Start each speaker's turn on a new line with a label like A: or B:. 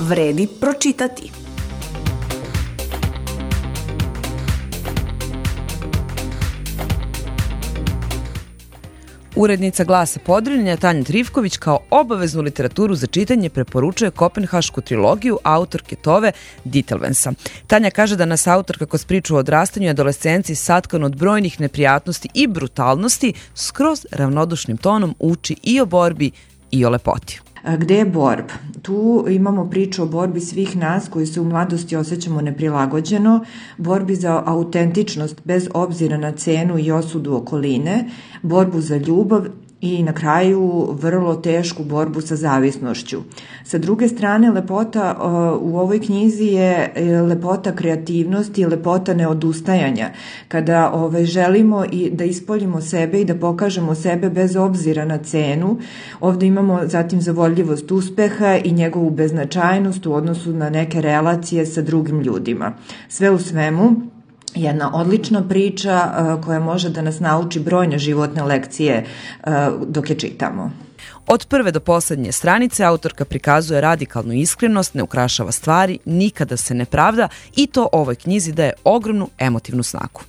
A: vredi pročitati.
B: Urednica Glasa Podrinja Tanja Trifković kao obaveznu literaturu za čitanje preporučuje kopenhašku trilogiju autorke Tove Ditlevsensa. Tanja kaže da nas autorka kroz priču o odrastanju i adolescenciji satkan od brojnih neprijatnosti i brutalnosti skroz ravnodušnim tonom uči i o borbi i o lepoti.
C: Gde je borb? Tu imamo priču o borbi svih nas koji se u mladosti osjećamo neprilagođeno, borbi za autentičnost bez obzira na cenu i osudu okoline, borbu za ljubav i na kraju vrlo tešku borbu sa zavisnošću. Sa druge strane, lepota u ovoj knjizi je lepota kreativnosti i lepota neodustajanja. Kada želimo i da ispoljimo sebe i da pokažemo sebe bez obzira na cenu, ovde imamo zatim zavodljivost uspeha i njegovu beznačajnost u odnosu na neke relacije sa drugim ljudima. Sve u svemu, jedna odlična priča koja može da nas nauči brojne životne lekcije dok je čitamo.
B: Od prve do poslednje stranice autorka prikazuje radikalnu iskrenost, ne ukrašava stvari, nikada se ne pravda i to ovoj knjizi daje ogromnu emotivnu snagu.